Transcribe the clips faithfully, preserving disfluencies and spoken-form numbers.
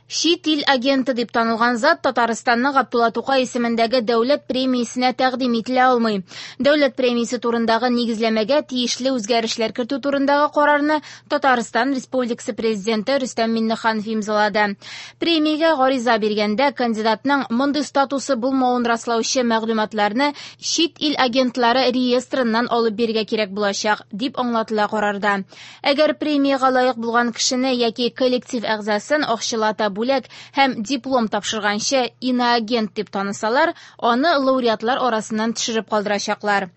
Чит ил агенты дип танылган зат Татарстанның Габдулла Тукай исемендәге дәүләт премиясенә тәкъдим ителә алмый. Дәүләт премиясе турындагы нигезләмәгә тиешле үзгәрешләр кертү турындагы карарны Татарстан Республикасы Президенты Рөстәм Миңнеханов имзалады. Премиягә гариза биргәндә кандидатның мондый статусы булмавын раслаучы мәгълүматларны чит ил агентлары реестрыннан алып бирергә кирәк булачак, дип аңлатыла карарда. Әгәр премиягә лаек булган кешене яки коллектив әгъзасын акчалата бүләк һәм диплом тапшырганчы иноагент дип танысалар, аны лауреатлар арасыннан төшереп калдырачаклар.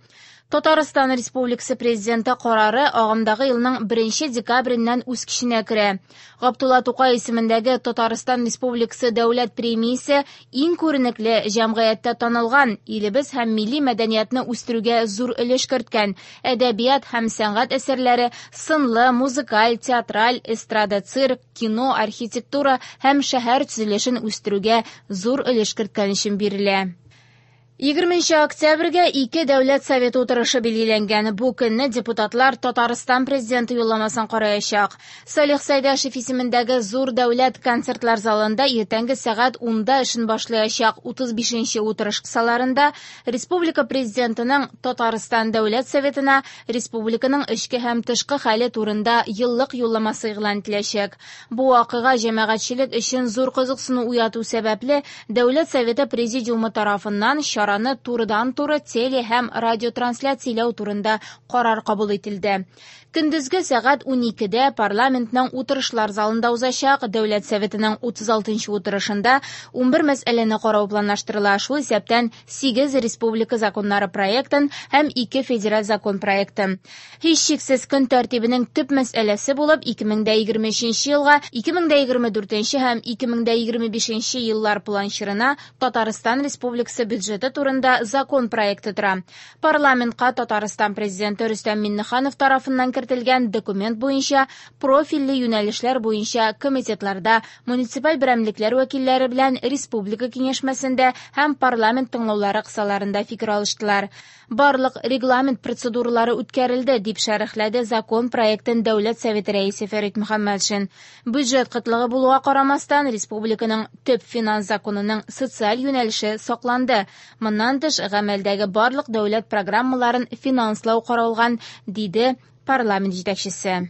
Татарстан Республикасы Президенты карары агымдагы елның беренче декабреннән үз көченә керә. Габдулла Тукай исемендәге Татарстан Республикасы дәүләт премиясе иң күренекле, җәмгыятьтә танылган, илебез һәм милли мәдәниятне үстерүгә зур өлеш керткән әдәбият һәм сәнгать әсәрләре, сынлы, музыкаль, театраль, эстрада, цирк, кино, архитектура һәм шәһәр төзелешен үстерүгә зур өлеш керткән өчен бирелә. Егерменче октябрьгә ике дәүләт советы утырышы билгеләнгән. Бу көнне депутатлар Татарстан президенты юлламасын караячак. Салих Сәйдәшев исемендәге зур дәүләт концертлар залында иртәнге сәгать унда эшен башлаячак утыз бишенче утырыш кысаларында республика президентының Татарстан дәүләт советына республиканың эчке һәм тышкы хәле турында еллык юлламасы игълан ителәчәк. Бу вакыйга җәмәгатьчелек өчен зур кызыксыну уяту сәбәпле Дәүләт советы президиумы тарафыннан чараны турыдан-туры теле һәм радиотрансляцияләү турында карар кабул ителде. Көндезге сәгать уникедә парламентның утырышлар залында узачак Дәүләт Советының утыз алтынчы утырышында унбер мәсьәләне карау планлаштырыла, шул исәптән сигез республика законнары проектын һәм ике федераль закон проектын. Һичшиксез көн тәртибенең төп мәсьәләсе булып ике мең дә егерме өченче елга, ике мең дә егерме дүртенче һәм ике мең дә егерме бишенче еллар планчырына Татарстан Республикасы бюджеты турында закон проекты тора. Парламентка Татарстан президенты Рөстәм Миңнеханов тарафыннан кертелгән документ буенча профильле юнәлешләр буенча комитетларда муниципаль берәмлекләр вәкилләре белән республика киңәшмәсендә һәм парламент тыңлаулары кысаларында фикер алыштылар. Барлык регламент процедуралары үткәрелде, дип шәрехләде закон проектын Дәүләт Советы рәисе Фәрит Мөхәммәтшин. Бюджет кытлыгы булуга карамастан, республиканың төп финанс законының социаль юнәлеше сакланды. Моннан тыш, гамәлдәге барлык дәүләт программаларын финанслау каралган, диде парламент җитәкчесе.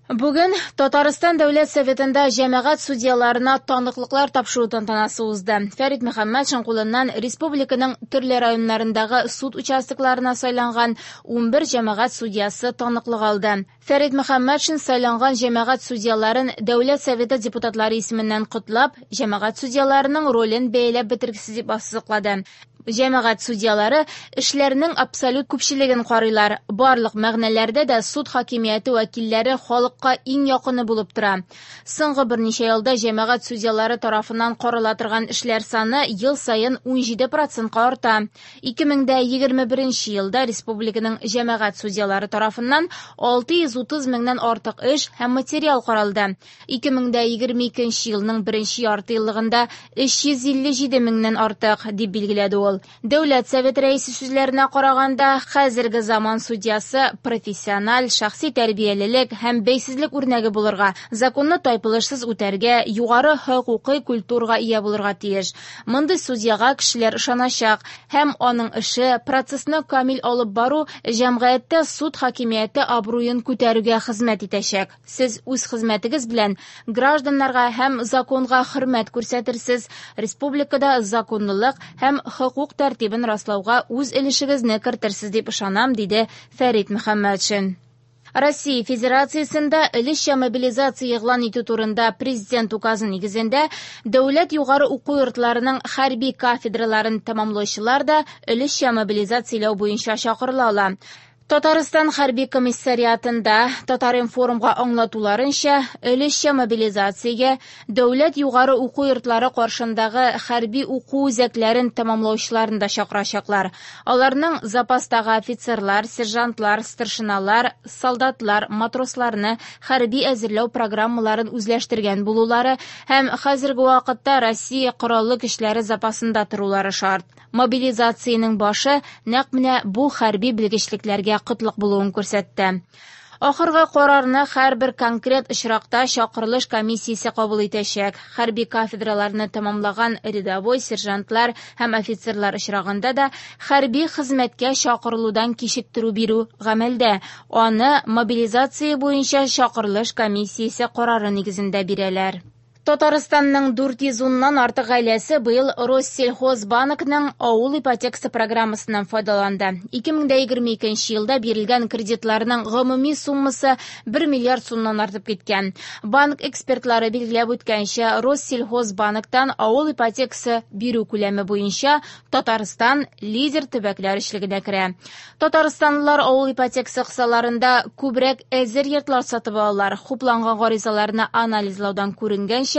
Бүген Татарстан Дәүләт Советында җәмәгать судьяларына таныклыклар тапшыру тантанасы узды. Фәрит Мөхәммәтшин кулыннан республиканың төрле районнарындагы суд участокларына сайланган унбер җәмәгать судьясы таныклык алды. Фәрит Мөхәммәтшин сайланган җәмәгать судьяларын Дәүләт Советы депутатлары исеменнән котлап, җәмәгать судьяларының ролен бәяләп бетергесез дип ассызыклады. Җәмәгать судьялары эшләрнең абсолют күпчелеген карыйлар. Барлык мәгънәләрдә дә суд хакимияте вәкилләре халыкка иң якыны булып тора. Соңгы берничә елда җәмәгать судьялары тарафыннан карала торган эшләр саны ел саен унҗиде процентка арта. Ике мең дә егерме беренче елда республиканың җәмәгать судьялары тарафыннан алты йөз утыз меңнән артык эш һәм материал каралды. Ике мең дә егерме икенче елның беренче ярты еллыгында өч йөз илле җиде меңнән артык, дип билгеләде ул. Дәүләт Советы рәисе сүзләренә караганда, хәзерге заман судьясы профессиональ, шәхси тәрбиялелек һәм бәйсезлек үрнәге булырга, законны тайпылышсыз үтәргә, югары хокукый культурага ия булырга тиеш. Мондый судьяга кешеләр ышаначак һәм аның эше процессны камил алып бару җәмгыятьтә суд хакимияте абруен күтәрүгә хезмәт итәчәк. Сез үз хезмәтегез белән гражданнарга һәм законга хөрмәт күрсәтерсез, республикада законлылык һәм хокук тәртибен раслауга үз өлешегезне кертерсез дип ышанам, диде Фәрит Мөхәммәтшин. Россия Федерациясендә өлешчә мобилизация игълан итү турында президент указы нигезендә дәүләт югары уку йортларының хәрби кафедраларын тәмамлаучылар да өлешчә мобилизацияләү буенча чакырыла ала. Татарстан хәрби комиссариатында Татар-информга аңлатуларынча, өлешчә мобилизациягә дәүләт югары уку йортлары каршындагы хәрби уку үзәкләрен тәмамлаучыларын да чакырачаклар. Аларның запастагы офицерлар, сержантлар, старшиналар, солдатлар, матросларны хәрби әзерләү программаларын үзләштергән булулары һәм хәзерге вакытта Россия Кораллы көчләре запасында торулары шарт. Мобилизациянең башы нәкъ менә бу хәрби белгечлекләргә кытлык булуын күрсәтте. Ахыргы карарны һәрбер конкрет очракта чакырылыш комиссиясе кабул итәчәк. Хәрби кафедраларны тәмамлаган рядовой, сержантлар һәм офицерлар очрагында да хәрби хезмәткә чакырылудан кичектерү бирү гамәлдә. Аны мобилизация буенча чакырылыш комиссиясе карары нигезендә бирәләр. Татарстанның дүрт йөз уннан артык гаиләсе быел Россельхозбанкның авыл ипотекасы программасыннан файдаланды. ике мең егерме икенче елда бирелгән кредитларның гомуми суммасы бер миллиард сумнан артып киткән. Банк экспертлары билгеләп үткәнчә, Россельхозбанктан авыл ипотекасы бирү күләме буенча Татарстан лидер төбәкләр өчлегенә керә. Татарстанлылар авыл ипотекасы кысаларында күбрәк әзер йортлар сатып алалар. Хупланган гаризаларны анализлаудан күренгәнчә,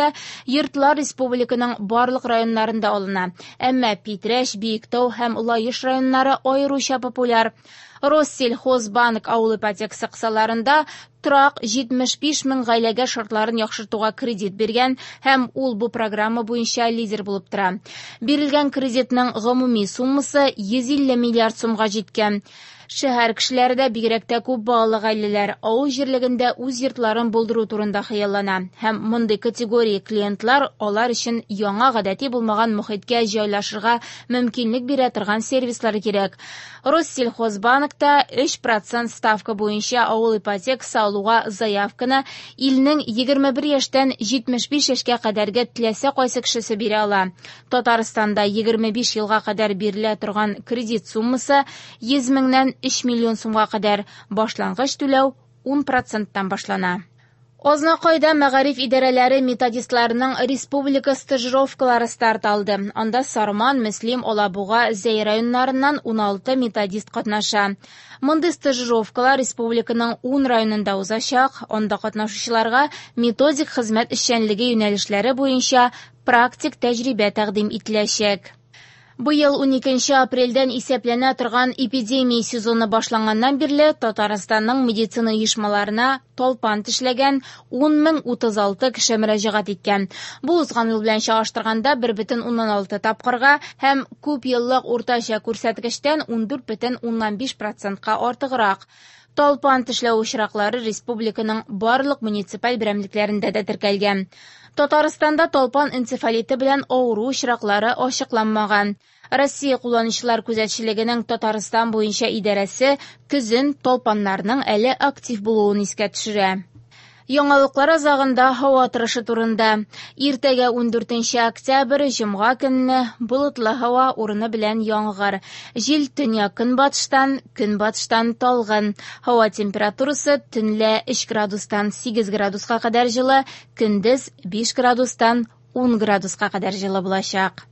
йортлар республиканың барлык районнарында алына. Әмма Питрәч, Биектау һәм Лаеш районнары аеруча популяр. Россельхозбанк авыл ипотекасы кысаларында торак җитмеш биш мең гаиләгә шартларын яхшыртуга кредит биргән һәм ул бу программа буенча лидер булып тора. Бирелгән кредитның гомуми суммасы йөз илле миллиард сумга җиткән. Шәһәр кешеләре дә бигрәк тә күп балалы гаиләләр авыл җирлегендә үз йортларын булдыру турында хыяллана. Һәм мондый категория клиентлар алар өчен яңа гадәти булмаган мохиткә җайлашырга мөмкинлек бирә торган сервислар кирәк. Россельхозбанкта өч процент ставка буенча авыл ипотекасы алуга заявканы илнең егерме бер яшьтән җитмеш биш яшькә кадәрге теләсә кайсы кешесе бирә ала. Татарстанда егерме биш елга кадәр бирелә торган кредит суммасы йөз меңнән өч миллион сумга кадәр, башлангыч түләү ун проценттан башлана. Азнакайда мәгариф идарәләре методистларының республика стажировкалары старт алды. Анда Сарман, Мөслим, Алабуга, Зәй районнарыннан ун алты методист катнаша. Мондый стажировкалар республиканың ун районында узачак. Анда катнашучыларга методик хезмәт эшчәнлеге юнәлешләре буенча практик тәҗрибә тәкъдим ителәчәк. Быел уникенче апрельдән исәпләнә торган эпидемия сезоны башланганнан бирле Татарстанның медицина оешмаларына талпан тешләгән ун мең утыз алты кеше мөрәҗәгать иткән. Бу узган ел белән чагыштырганда бер бөтен уннан алты тапкырга һәм күп еллык уртача күрсәткечтән ундүрт бөтен уннан биш процентка артыграк. Талпан тешләү очраклары республиканың барлык муниципаль берәмлекләрендә дә теркәлгән. Татарстанда талпан энцефалиты белән авыру очраклары ачыкланмаган. Россия кулланучылар күзәтчелегенең Татарстан буенча идарәсе көзен талпаннарның әле актив булуын искә төшерә. Яңалыклар азагында һава торышы турында. Иртәгә ундүртенче октябрь, җомга көнне болытлы һава урыны белән яңгыр. Җил төньяк-көнбатыштан, көнбатыштан талгын. Һава температурасы төнлә өч градустан сигез градуска кадәр җылы, көндез биш градустан ун градуска кадәр җылы булачак.